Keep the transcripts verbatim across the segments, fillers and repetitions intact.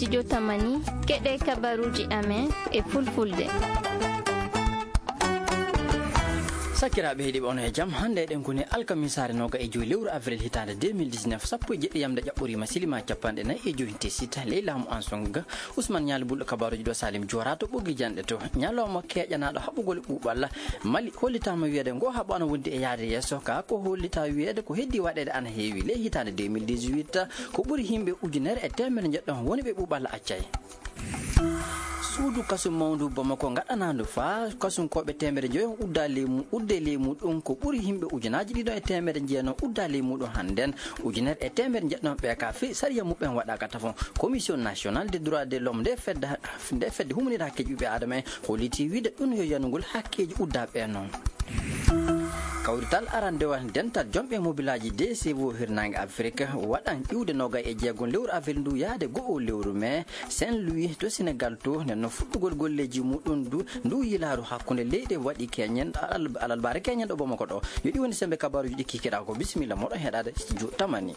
Studio Tamani, keɗe kabaruuji amen e fulfulde. Sakiraaɓe heɗiiɓe, on e jam. Hannde eɗen koni alkamisaare nooga e joyi lewru avril hitaande deux mille dix-neuf, sappo e jeɗɗi yamde ƴaɓɓoriima, silima capanɗe nayi e joyi tesitta ley laamu Ansong. Ousmane Ñaali Bulɗo kabaruuji ɗo, Salim Joora to ɓoggi janɗe to. Ñalawma keeƴanaaɗo haɓugol ɓuuɓal Mali hollitaama wiyeede ngo haɓo ana wondi e yahde yeeso, ka ko hollita wiyeede ko heddi waɗeede ana heewi. Ley hitaande deux mille dix-huit, ko ɓuri yimɓe ujunere e teemedde njeɗɗo woni ɓe ɓuuɓal accay. Suudu kasu mawndu Bamako ngaɗanaandu faa kasunkooɓe teemedde njoyo udda ley mu-, udde ley muɗum, ko ɓuri yimɓe ujunaaji ɗiɗo e teemedde jeenayi udda ley muɗum hannden. Ujunere e teemedde njeɗɗo ɓe ka fii sariya muɓɓen waɗaaka tafon. Commission nationale des droits de l'homme nde fedde, nde fedde humanitaire hakkeeji ɓiɓɓe aadama en holliti wiide ɗum yo yanugol hakkeeji uddaaɓe noon. Kawrital arandewal dental jomɓe mobilaaji D C O hirnaange Afrik waɗan iwde noogay e jeegom lewru avril ndu yaade go'o lewru mee Saint-Louis to Senegal to. Nden no fuɗɗugol golleeji muɗum ndu, ndu yilaaru hakkunde leyɗe waɗi keñen, alal-, alalbaare keñen ɗo Bamako ɗo. Yo ɗi woni sembe kabaruuji ɗi kikiɗaa ko. Bisimilla moɗon heɗaade studio Tamani.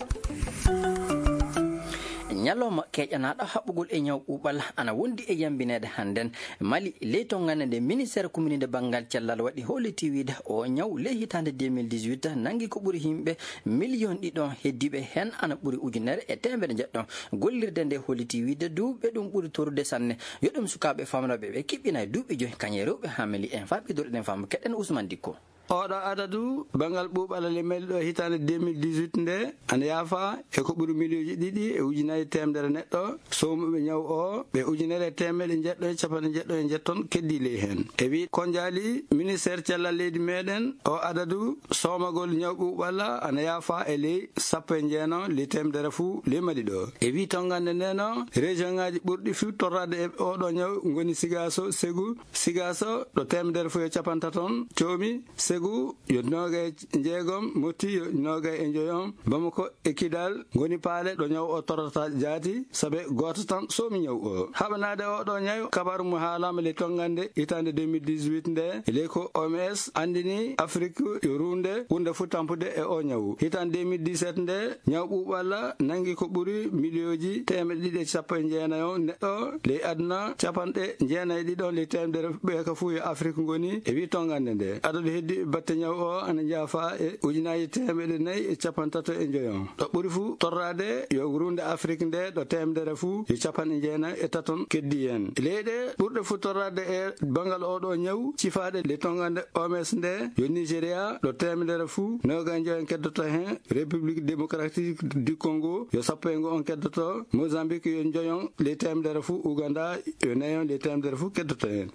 Ñalawma keeƴanaaɗo haɓugol e ñaw ɓuuɓal ana wondi e yambineede hannden. Mali, ley tonngande nde ministeer kumininde banngal cellal waɗi holliti wiide o ñaw ley hitaande deux mille dix-huit nanngi ko ɓuri yimɓe miliyon ɗiɗo heddiiɓe heen ana ɓuri ujunere e teemedde njeɗɗo. Gollirde nde holliti wiide duuɓi ɓe ɗum ɓuri torude sanne. Yo ɗum sukaaɓe famnooɓe ɓe kiɓɓina e duuɓi joyi, kañe rewɓe haa meli en. Faa ɓeydoɗen faamu keɗen Ousmane Dikko. Oɗo adadu banngal ɓuuɓal ley Mali ɗo hitaande deux mille dix-huit nde ana yaafa e ko ɓuri miliyonji ɗiɗi e ujunaaji teemedere neɗɗo soomuɓe ñaw o, ɓe ujunere e teemedde njeɗɗo e capanɗe njeɗɗo e njetton keddii ley heen. E wii konjaali ministeer cellal leydi meɗen, o adadu soomagol ñaw ɓuuɓal ana yaafa e ley sappo e jeenayi ley teemedere fuu ley Mali ɗo. E wii tonngande nde no région ŋaaji ɓurɗi fuu torraade e oɗo ñaw ngoni Sigaso, Segu, Sigaso ɗo teemedere fuu e capantaton coomi, Segu yo noogay e jeegom, Moti yo noogay e njoyon, Bamako e Kidal ngoni paale ɗo ñaw o torrata jaati, sabe gooto tan soomi ñaw o. Haɓanaade oɗo ñaw, kabaaru mo haalaama ley tonngande hitaande deux mille dix-huit nde, ley ko O M S anndini Afrik yo ruunde ɓurnde fuu tampude e o ñaw. Hitaande deux mille dix-sept nde, ñaw ɓuuɓal nanngi ko ɓuri miliyonji teemedde ɗiɗi e sappo e jeenayi neɗɗo ley aduna, capanɗe jeenayi e ɗiɗo ley teemedere ɓe ka fuu yo Afrik ngoni, e wii tonngande nde. Adadu heddi batte ñaw o ana jaafa e ujunaaji teemedde nayi e capantato e njoyon. Ɗo ɓuri fuu torraade yo ruunde Afrik nde, ɗo teemedere fuu yo capanɗe jeenayi e taton keddii heen. Leyɗe ɓurɗe fuu torraade e banngal oɗo ñaw cifaaɗe ley tonngande O M S nde yo Nigeria, ɗo teemedere fuu noogay e njoyon keddoto heen, République démocratique du Congo yo sappo e ngo on keddoto, Mozambique yo njoyon ley teemedere fuu, Uganda yo nayon ley teemedere fuu keddoto heen.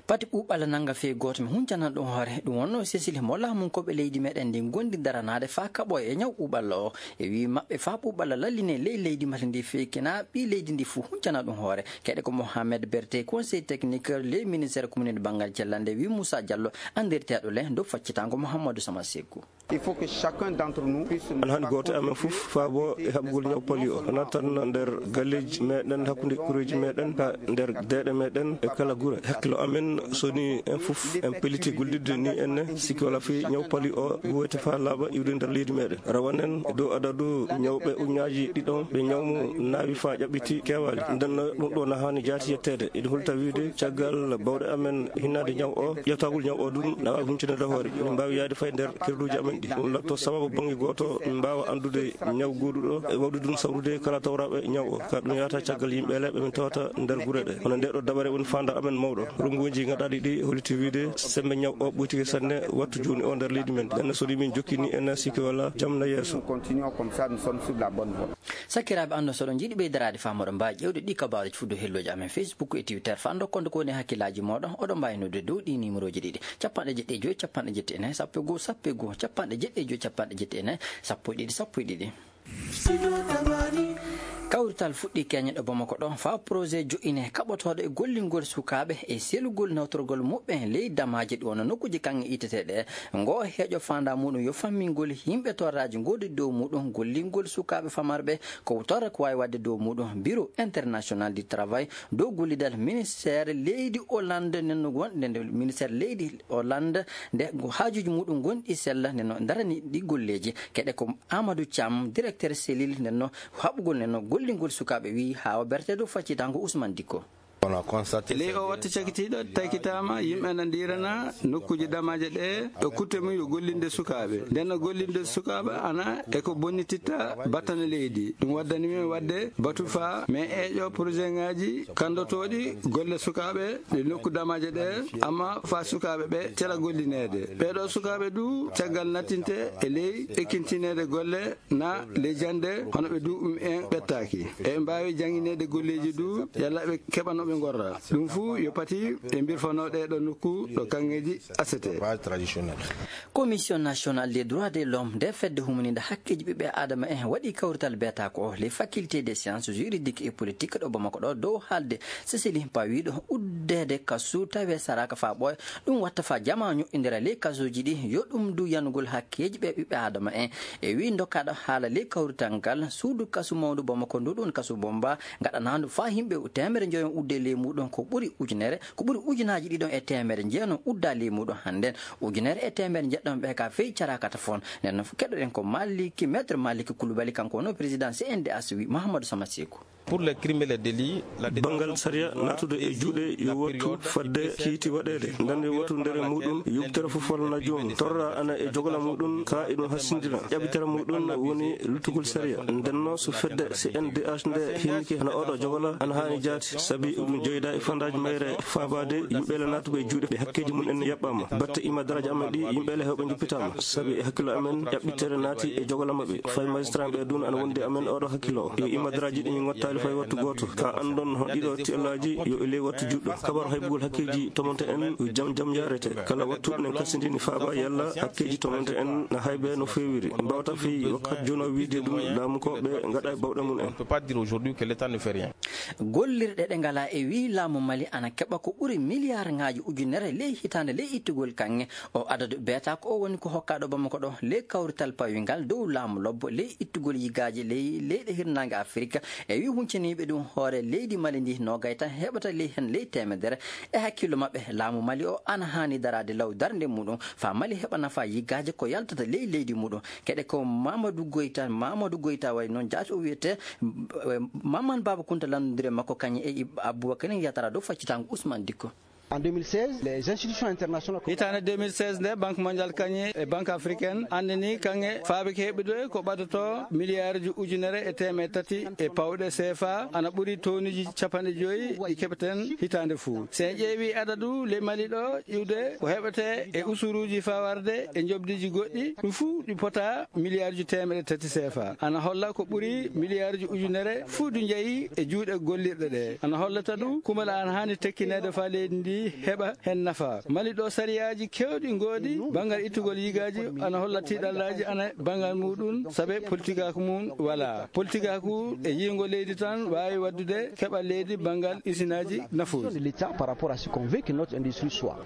Pati ɓuuɓal nannga fii gooto mi huncanan ɗum hoore, ɗum wonnoo Cécile mo laamunkooɓe leydi meɗen ndi ngondi daranaade faa kaɓo e ñaw ɓuuɓal o. E wii maɓɓe faa ɓuuɓal lalline ley leydi Mali ndi fii kena ɓii leydi ndi fuu huncana ɗum hoore. Keɗe ko Mohamed Berté, conseil technique ley ministère communauté banngal cellal nde, wii Moussa Diallo, anndirteeɗo le dow faccitango Mouhamadou Sama Sekou. Il faut que chacun d'entre nous puisse... Ana haani gooto e amen fof faabo e haɓugol ñaw pali o, wonaa tan nder galleeji meɗen, hakkunde kureeji meɗen, haa nder deeɗe meɗen e kala gure. Hakkilo amen soni en fof en pelliti gollidde ni enne, sikke walaa fii ñaw pali o ɓuwoyte faa laaɓa iwde nder leydi meɗen. Rawanen e dow adadu ñawɓe ujunnaaji ɗiɗon ɓe ñaw mum naawi faa ƴaɓɓiti keewaali. Nden no ɗum ɗo na haani jaati yetteede. Eɗen hulta wiide caggal bawɗe amen hinnaade ñaw o, ƴettagol ñaw o ɗum na waawi huncinde hoore. Min mbaawi yaade fay nder kerduuji amen ɗi. Ɗum latto sababu bannge gooto, min mbaawa anndude ñaw gooduɗo e wawde ɗum sawrude kala tawraaɓe ñaw o. Ka ɗum yahata caggal yimɓe leeɓe min tawata nder gure ɗe. Hono nde ɗo dabare woni faandaare amen mawɗo. Ronnguuji gaɗaaɗi ɗi holliti wiide sembe ñaw o ɓoytike sanne wattu jooni o nder leydi men. Nden so min jokki ni en sikki wala jam na yeeso. Continuons comme ça, nous sommes sur la bonne voie. Sakiraaɓe, anndon so oɗon njiɗi ɓeydaraade faamu, oɗon mbaawi ƴeewde ɗi kabaaruuji fuu dow hellooji amen Facebook e Twitter. Faa ndokkon ko woni e hakkillaaji mooɗon, oɗon mbaawi noddude dow ɗii niimorooji ɗiɗi, capanɗe jeɗɗi e joy, capanɗe jeɗɗi e nayi, sappo e goo, sappo e goo, capanɗe jeɗɗi e joy, capanɗe jeɗɗi e nayi, sappo e ɗiɗi, sappo e ɗiɗi. Kawrital fuɗɗii keñe ɗo Bamako ɗo faa projet jo'ine kaɓotooɗo e gollingol sukaaɓe e selugol nawtorgol muɓɓen ley damaaji ɗi wonno nokkuuji kaŋŋe iteteeɗe. Ngoo heejo faandaa muuɗum yo fammingol yimɓe torraaji ngoodii dow muuɗum, gollingol sukaaɓe famarɓe ko torra ko waawi waɗde dow muuɗum. Bureau International du Travail dow gollidal ministère leydi Hollande nden no won-, nden, nden ministère leydi Hollande nde haajuuji muuɗum ngonɗi sella nden no darani ɗi golleeji. Keɗe ko Amadou Thiam, directeur cellule nden no haɓugol nden no Hollingol sukaaɓe, wi Hawa Berté dow faccitango Ousmane Dikko. E ley o watta cakitiiɗo, taykitaama yimɓe ana ndiirana nokkuuji damaaje ɗe, e kutte mum yo gollinde sukaaɓe. Nden no gollinde sukaaɓe ana e ko bonnititta battane leydi. Ɗum waddani min waɗde batu faa min eeƴo projet ŋaaji kanndotooɗi golle sukaaɓe ɗe nokku damaaje ɗe, amma faa sukaaɓe ɓe cela gollineede. Ɓeeɗo sukaaɓe du caggal nattinte e ley ekkintineede golle na ley jannde, hono ɓe du ɗum en ɓettaaki. Eɓe mbaawi janngineede golleeji du, yalla ɓe keɓa no ɓe ngorra. Ɗum fuu yo pati e mbirfanoo ɗee ɗo nokku ɗo kaŋŋeeji asete. Commission nationale des droits de l'homme, nde fedde humaniinde hakkeeji ɓiɓɓe Aadama en, waɗi kawrital beetaako o, les facultés des sciences juridiques et politiques ɗo Bamako ɗo, dow haalde Cécile Himpa wiiɗo uddeede kasu tawe saraaka faa ɓooya. Ɗum watta faa jamaa ñoƴƴindira ley kasuuji ɗi, yo ɗum du yanugol hakkeeji ɓe ɓiɓɓe Aadama en. E wii dokkaaɗo haala ley kawrital ngal, suudu kasu mawndu Bamako ndu, ɗum kasu Bomba, ngaɗanaandu faa yimɓe teemedere njoyo udde ley muuɗum, ko ɓuri ujunere, ko ɓuri ujunaaji ɗiɗon e teemedere jeenom udda ley muuɗum hannden. Ujunere e teemedere njeɗɗon ɓe ka fey caraakata fon. Nden non keɗoɗen ko Maliki, Maître Maliki Koulibaly, kanko woni président C N D H, wi Mahamadou Sama Seku. Pour les crimes et les délits, la Banngal sariya naatude e juuɗe yo wattu fadde kiiti waɗeede. Ndande wattu ndere muuɗum, yubtere fof walla joomum. Torra ana e jogola muuɗum, ka eɗum hassindira. Ƴaɓitara muuɗum woni luttugol sariya. Ndenno so fedde C N D H nde hinnike hano oɗo jogola ana haani jaati, sabi ɗum joyda e fandaaji mayre faabaade yimɓe le naatuɓe e juuɗe ɓe hakkeeji mum en yaɓɓaama. Batte imadaraaji amen ɗi yimɓe le heewɓe njuppitaama. Sabi e hakkillo amen, ƴaɓɓitere naati e jogola maɓɓe. Fay magistrat ɓe dun ana wondi amen oɗo hakkillo. Yo imadaraaji ɗi ngottaali fay wattu gooto. Ka anndon hon ɗiɗo tiellaaji yo e ley wattu juɗɗo. Kabaru haybugol hakkeeji tomonte en yo jam jam yarete. Kala wattu nen kasindini faaba yalla hakkeeji tomonte en na haybe no feewiri. Mbawta fii wakkat jono wiide ɗum laamu ko ɓe ngaɗa e bawɗe mum en. On peut pas dire aujourd'hui que l'État ne fait rien. Gollirɗe ɗe ngalaa e wii laamu Mali ana keɓa ko ɓuri miliyaarŋaaji ujunere ley hitaande ley ittugol kaŋŋe. O adadu beetaako o woni ko hokkaaɗo Bamako ɗo ley kawrital pawingal dow laamu lobbo ley ittugol yigaaji ley leyɗe hirnaange Afirika. E wii hunciniiɓe ɗum hoore leydi Mali ndi noogay tan heɓata ley hen ley teemedere. E hakkillo maɓɓe, laamu Mali o ana haani daraade law darnde muɗum faa Mali heɓa nafa yigaaji ko yaltata ley leydi muɗum. Keɗe ko Mamadou Goyta, Mamadou Goyta wayi noon jaati o wiyetee, eh, Maman Baba Kunta lanndondire makko kañum e Ib-, Aboubacar Yatara dow faccitaango Ousmane Dikko. En deux mille seize, les institutions internationales. Hitaande deux mille seize nde, Banque mondiale kañum e Banque africaine anndini kaŋŋe faabike heɓude ko ɓadotoo miliyaaruji ujunere e teemedde tati e pawɗe C F A, ana ɓuri tonuji capanɗe joyi ɗi keɓeten hitaande fuu. So en ƴeewi adadu ley Mali ɗo, iwde ko heɓetee e usuruuji faa warde e njoɓdiiji goɗɗi, ɗum fuu ɗi pota miliyaaruji teemedde tati C F A. Ana holla ko ɓuri miliyaaruji ujunere fuu du njeyi e juuɗe gollirɗe ɗe. Ana hollata du kumala ana haani tekkineede faa leydi ndi heɓa hen nafa. Mali ɗo sariyaaji keewɗi ngoodi banngal ittugol yigaaji, ana holla tiiɗallaaji ana banngal muɗum, sabe politikaaku mum walaa. Politikaaku e yiingo leydi tan waawi waddude keɓal leydi banngal isinaaji nafuuji. De l'État par rapport à ce qu'on veut que notre industrie soit.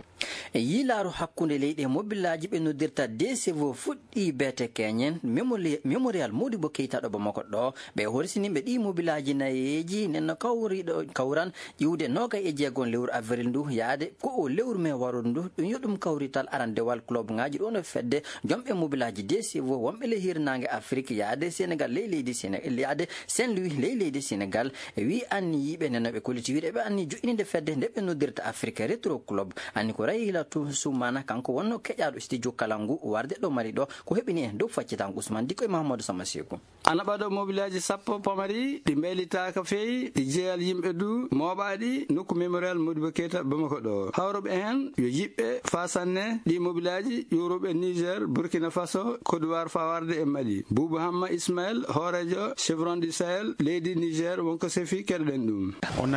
E yiilaaru hakkunde leyɗe mobilaaji ɓe noddirta D C V O fuɗɗi beete keñen Memoli-, Mémorial Modibo Keita ɗo Bamako ɗo. Ɓe horsini ɓe ɗi mobilaaji nayeeji nen no kawriɗo, kawran iwde noogay e jeegom lewru avril ndu yaade ko o lewru me warude ndu. Ɗum yo ɗum kawrital arandewal club ŋaaji ɗo no fedde jomɓe mobilaaji D C V O wonɓe ley hirnaange Afrik yaade Senegal ley leydi Sene-, yaade Saint Louis ley leydi Senegal. E wii anniyiiɓe nen no ɓe kolliti wiide ɓe anni joƴƴininde fedde nde ɓe noddirta Afrique Retro Club. Anni ko Rahilatu Soumana, kanko wonno keƴaaɗo studio Kalangu warde ɗo Mali ɗo, ko heɓini en dow faccitaango Ousmane Dikko e Mahamadou Sama Seku. Ana ɓado mobilaaji sappo pamari ɗi mbaylitaaka fey, ɗi jeyal yimɓe du mooɓaaɗi nokku Mémorial Modibo Keita Bamako ɗo. Hawruɓe heen yo jiɓɓe faa sanne ɗi mobilaaji ƴuuruɓe Niger, Burkina Faso, Côte d'Ivoire faa warde e Mali. Boubou Hamma Ismaël, hooreejo Chevron du Sahel leydi Niger, wonko sefi keɗoɗen ɗum.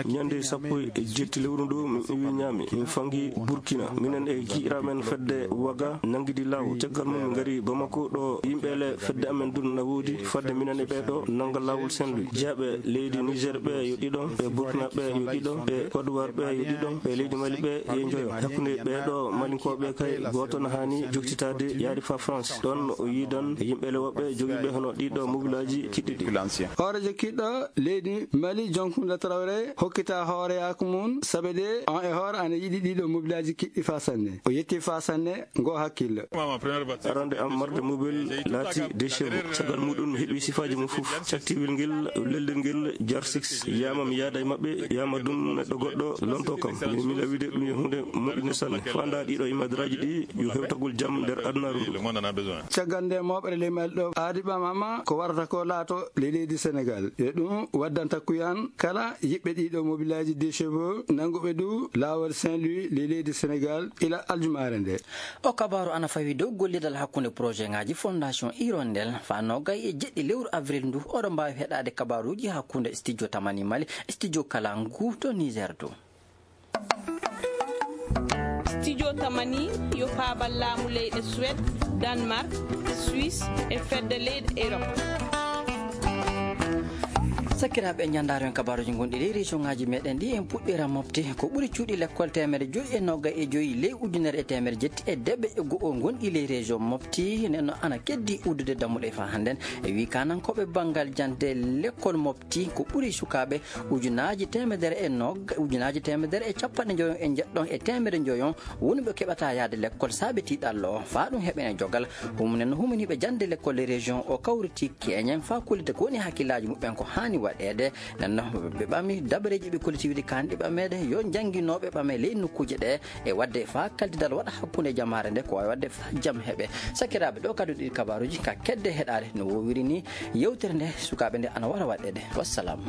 Ñande sappo e jetti lewru ndu, mi iwi ñaami, mi fangi Burkina. Minen e giɗiraaɓe men fedde Waga nanngidi laawol. Caggal mum, min ngari Bamako ɗo yimɓe le fedde amen dun na woodi. Fadde minen e ɓee ɗo nannga laawol Saint-Louis. Jeyaaɓe leydi Niger ɓe yo ɗiɗon, ɓe Burkina ɓe yo ɗiɗon, ɓe Côte d'Ivoire ɓe yo ɗiɗon, ɓe leydi Mali ɓe yo njoyo. Hakkunde ɓee ɗo Malinkooɓe kay, gooto no haani joktitaade yaade faa France. Ɗoon o yiidan yimɓe le woɓɓe jogiiɓe hono ɗii ɗo mobilaaji kiɗɗi ɗi. Hooreejo kiɗɗo leydi Mali, Jonkunde Traoré, hokkita hooreyaaku mum, sabe de on e hoore ana yiɗi ɗii ɗo mobilaaji kiɗɗi faa sanne. O yetti faa sanne ngoo hakkille. Arande am marde mobile laati déchiré. Caggal muɗum heɓi sifaaji mum fof. Caktiwel ngel, lelɗel ngel, jar six. Yama mi yaada e maɓɓe, yama ɗum neɗɗo goɗɗo lonto kam. Mi, mi lawide ɗum yo hunde moƴƴunde sanne. Fanda ɗiɗo imadraji ɗi yo hewtagol jam nder adunaaru ndu. Caggal nde moɓere ley Mali ɗo aadi ɓamama ko warata ko laato ley leydi Sénégal. E ɗum waddanta kuyan kala yiɓɓe ɗiɗo mobilaaji déchiré, nannguɓe du laawol Saint-Louis ley leydi Sénégal ila aljumaare nde. O kabaaru ana fawi dow gollidal hakkunde projet ŋaaji Fondation Hirondelle faa noogay e jeɗɗi lewru avril ndu. Oɗo mbaawi heɗaade kabaaruuji hakkunde studio Tamani Mali, studio Kalangu to Niger to. Studio Tamani yo faabal laamu leyɗe Suède, Danemark, Suisse e fedde leyɗe Europe. Sakiraaɓe, ñanndaaro en kabaaruuji gonɗi ley région ŋaaji meɗen ɗi, en puɗɗira mofte. Ko ɓuri cuuɗi lekkol teemedde joyi e noogay e joyi ley ujunere e teemedde jetti e deɓe e go'o gonɗi ley région mofti. Nden no ana keddi uddude dammuɗe faa hannden. E wii kaanankooɓe banngal jannde lekkol mofti, ko ɓuri sukaaɓe ujunaaji teemedere e noog-, ujunaaji teemedere e capanɗe njoyon e njeɗɗon e teemedde njoyon woni ɓe keɓata yaade lekkol saabe tiiɗallo o. Faa ɗum heɓene jogal, humunen no humaniiɓe jannde lekkol e région o kawriti keñen faa kullita ko woni hakkillaaji muɓɓen ko haani waɗeede. Nden no ɓe ɓami dabareeji ɓe kolliti wiide kaanɗi ɓameede yo jannginooɓe ɓame ley nokkuuje ɗe e waɗde faa kaldidal waɗa hakkunde jamaare nde ko waawi waɗde faa jam heɓe. Sakiraaɓe, ɗo kadi ɗi kabaaruuji ka kedde heɗaade no woowiri ni. Yewtere nde sukaaɓe nde ana wara waɗeede. Wassalam.